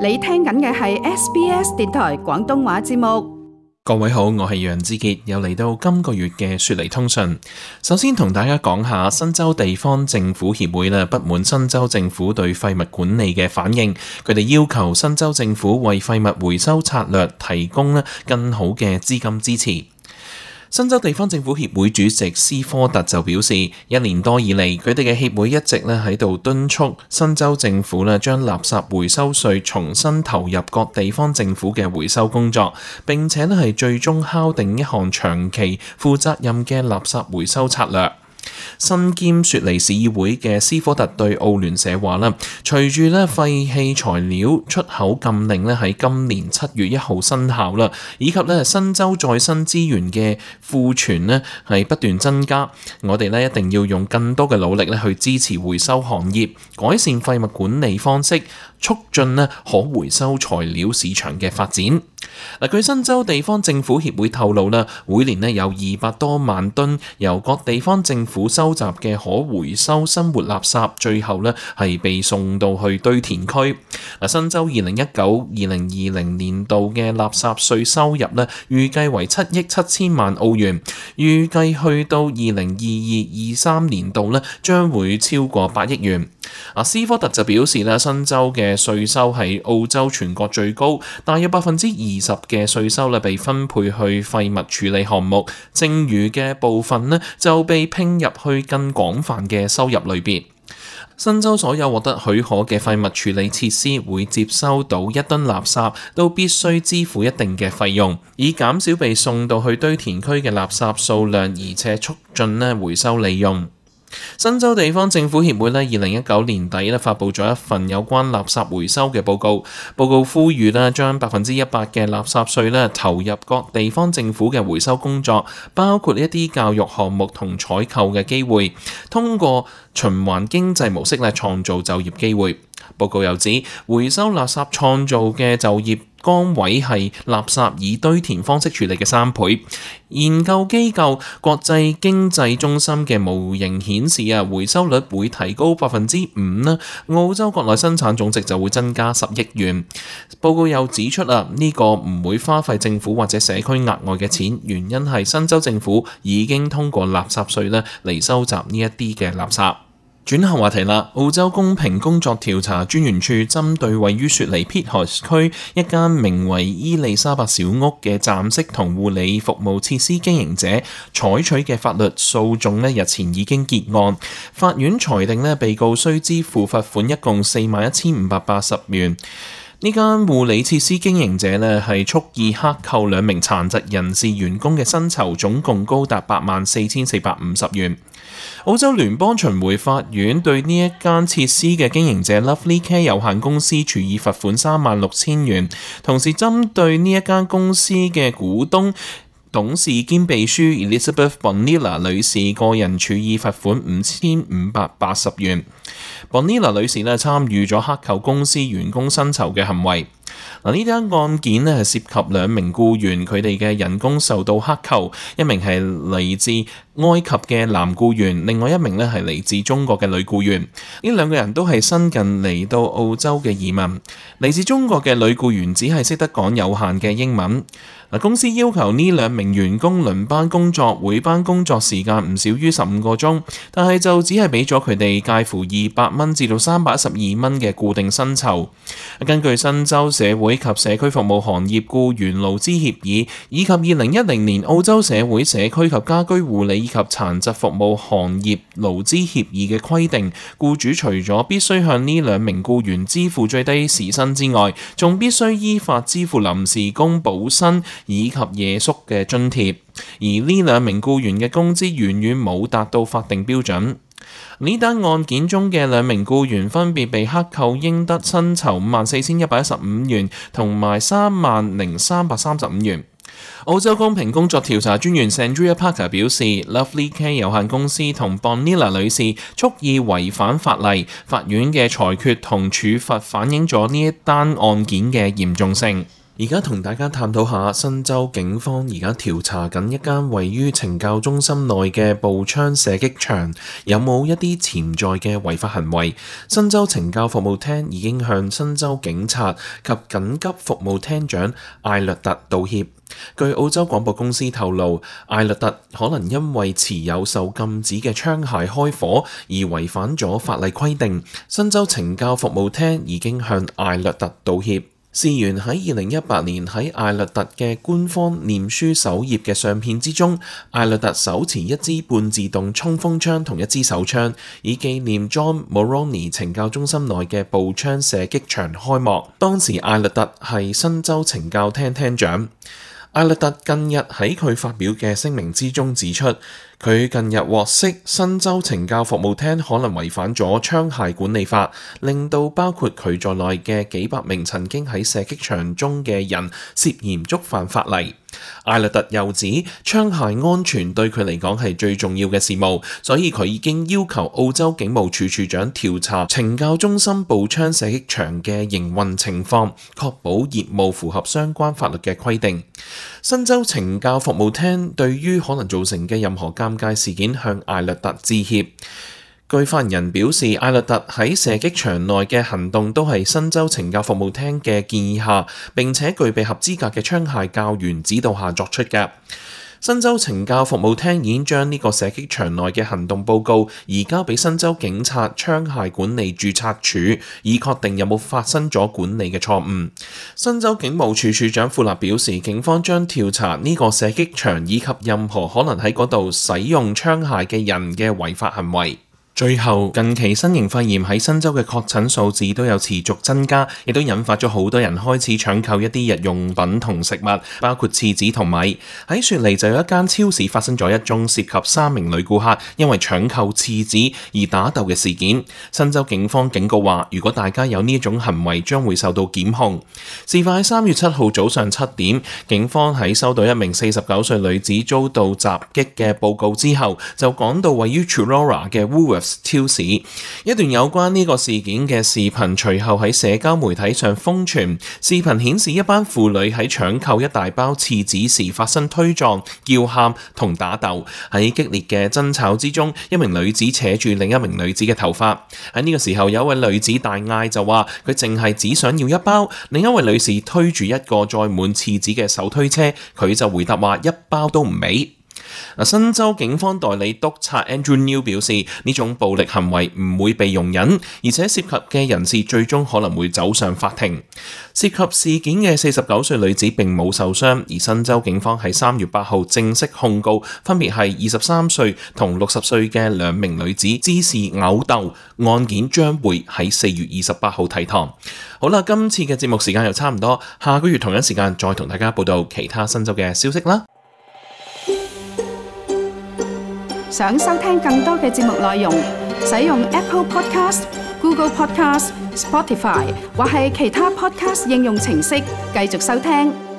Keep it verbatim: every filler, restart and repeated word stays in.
你聽緊嘅係 S B S 電台廣東話節目。各位好，我係楊志傑，又嚟到今個月嘅雪梨通訊。首先同大家講下新州地方政府協會啦，不滿新州政府對廢物管理嘅反應，佢哋要求新州政府為廢物回收策略提供咧更好嘅資金支持。新州地方政府協會主席斯科特就表示，一年多以嚟，佢哋嘅協會一直咧喺度敦促新州政府咧將垃圾回收稅重新投入各地方政府嘅回收工作，並且咧係最終敲定一項長期負責任嘅垃圾回收策略。身兼雪梨市議會嘅斯科特對澳聯社話啦，隨住咧廢棄材料出口禁令咧喺今年七月一號生效啦，以及咧新州再生資源嘅庫存咧係不斷增加，我哋咧一定要用更多嘅努力咧去支持回收行業，改善廢物管理方式，促進咧可回收材料市場嘅發展。嗱，據新州地方政府協會透露啦，每年咧有二百多萬噸由各地方政府收集嘅可回收生活垃圾，最後咧係被送到去堆填區。嗱，新州二零一九二零二零年度嘅垃圾稅收入咧，預計為七億七千萬澳元，預計去到二零二二二三年度咧，將會超過八億元。啊，斯科特就表示咧，新州嘅稅收係澳洲全國最高，大約百分之二十嘅稅收咧被分配去廢物處理項目，剩餘嘅部分咧就被拼入去更廣泛嘅收入類別。新州所有獲得許可嘅廢物處理設施會接收到一噸垃圾，都必須支付一定嘅費用，以減少被送到去堆填區嘅垃圾數量，而且促進咧回收利用。新州地方政府協會咧，二零一九年底咧發布咗一份有關垃圾回收嘅報告。報告呼籲咧，將百分之一百嘅垃圾稅咧投入各地方政府嘅回收工作，包括一啲教育項目同採購嘅機會，通過循環經濟模式咧創造就業機會。報告又指，回收垃圾創造嘅就業崗位係垃圾以堆填方式處理嘅三倍。研究機構國際經濟中心嘅模型顯示啊，回收率會提高百分之五啦，澳洲國內生產總值就會增加十億元。報告又指出啊，呢個唔會花費政府或者社區額外嘅錢，原因係新州政府已經通過垃圾稅咧嚟收集呢一啲嘅垃圾。轉下話題啦，澳洲公平工作調查專員處針對位於雪梨 Pitt 區一間名為伊麗莎白小屋嘅暫式同護理服務設施經營者採取嘅法律訴訟咧，日前已經結案。法院裁定咧，被告需支付罰款一共四萬一千五百八十元。呢間護理設施經營者咧係蓄意克扣兩名殘疾人士員工嘅薪酬，總共高達八萬四千四百五十元。澳洲聯邦巡迴法院對呢一間設施嘅經營者 Lovely Care 有限公司處以罰款三萬六千元，同時針對呢一間公司嘅股東、董事兼秘書 Elizabeth Bonilla 女士個人處以罰款五千五百八十元。Bonilla 女士咧參與咗克扣公司員工薪酬嘅行為。嗱，呢單案件咧係涉及兩名僱員，佢哋嘅人工受到克扣，一名係嚟自埃及嘅男僱員，另外一名咧係嚟自中國嘅女僱員。呢兩個人都係新近嚟到澳洲嘅移民。嚟自中國嘅女僱員只係識得講有限嘅英文。嗱，公司要求呢兩名員工輪班工作，每班工作時間唔少於十五個鐘，但係就只係俾咗佢哋介乎二百蚊至到三百一十二蚊嘅固定薪酬。根據新州社會及社區服務行業僱員勞資協議以及二零一零年澳洲社會社區及家居護理以及殘疾服務行業勞資協議嘅規定，僱主除咗必須向呢兩名僱員支付最低時薪之外，仲必須依法支付臨時工補薪以及夜宿嘅津貼，而呢兩名僱員嘅工資遠遠冇達到法定標準。呢單案件中嘅兩名僱員分別被克扣應得薪酬五萬四千一百一十五元同埋三萬零三百三十五元。澳洲公平工作調查專員 Sandria Parker 表示 ，Lovely Care 有限公司同 Bonilla 女士蓄意違反法例，法院嘅裁決同處罰反映咗呢一單案件嘅嚴重性。而家同大家探討下新州警方而家調查緊一間位於懲教中心內嘅步槍射擊場，有冇一啲潛在嘅違法行為？新州懲教服務廳已經向新州警察及緊急服務廳長艾略特道歉。據澳洲廣播公司透露，艾略特可能因為持有受禁止嘅槍械開火而違反咗法例規定。新州懲教服務廳已經向艾略特道歉。事源喺二零一八年喺艾略特嘅官方臉書首頁嘅相片之中，艾略特手持一支半自動衝鋒槍同一支手槍，以紀念 John Mulroney 懲教中心內嘅步槍射擊場開幕。當時艾略特係新州懲教廳廳長。艾略特近日喺佢發表嘅聲明之中指出，佢近日獲悉新州懲教服務廳可能違反咗槍械管理法，令到包括佢在內嘅幾百名曾經喺射擊場中嘅人涉嫌觸犯法例。艾略特又指槍械安全對佢嚟講係最重要嘅事務，所以佢已經要求澳洲警務處處長調查懲教中心步槍射擊場嘅營運情況，確保業務符合相關法律嘅規定。新州懲教服務廳對於可能造成嘅任何尷尬事件向艾略特致歉。據發言人表示，艾略特喺射擊場內嘅行動都係新州懲教服務廳嘅建議下，並且具備合資格嘅槍械教員指導下作出嘅。新州懲教服務廳已經將呢個射擊場內嘅行動報告移交俾新州警察槍械管理註冊處，以確定有冇發生咗管理嘅錯誤。新州警務處處長庫納表示，警方將調查呢個射擊場以及任何可能喺嗰度使用槍械嘅人嘅違法行為。最後，近期新型肺炎喺新州嘅確診數字都有持續增加，亦都引發咗好多人開始搶購一啲日用品同食物，包括廁紙同米。喺雪梨就有一間超市發生咗一宗涉及三名女顧客因為搶購廁紙而打鬥嘅事件。新州警方警告話，如果大家有呢一種行為，將會受到檢控。事發喺三月七號早上七點，警方喺收到一名四十九歲女子遭到襲擊嘅報告之後，就趕到位於 Chullora 嘅 Woolworths超市。一段有關呢個事件嘅視頻隨後喺社交媒體上瘋傳。視頻顯示一班婦女喺搶購一大包廁紙時發生推撞、叫喊同打鬥。喺激烈嘅爭吵之中，一名女子扯住另一名女子嘅頭髮。喺呢個時候，有一位女子大嗌就話佢淨係只想要一包，另一位女士推住一個載滿廁紙嘅手推車，佢就回答話一包都唔俾。新州警方代理督察 Andrew New 表示，呢種暴力行為唔會被容忍，而且涉及嘅人士最終可能會走上法庭。涉及事件嘅四十九歲女子並冇受傷，而新州警方喺三月八號正式控告分別係二十三歲同六十歲嘅兩名女子滋事毆鬥，案件將會喺四月二十八號提堂。好啦，今次嘅節目時間又差唔多，下個月同一時間再同大家報道其他新州嘅消息啦。想收聽更多嘅節目內容，使用 Apple Podcast、Google Podcast、Spotify 或係其他 Podcast 應用程式繼續收聽。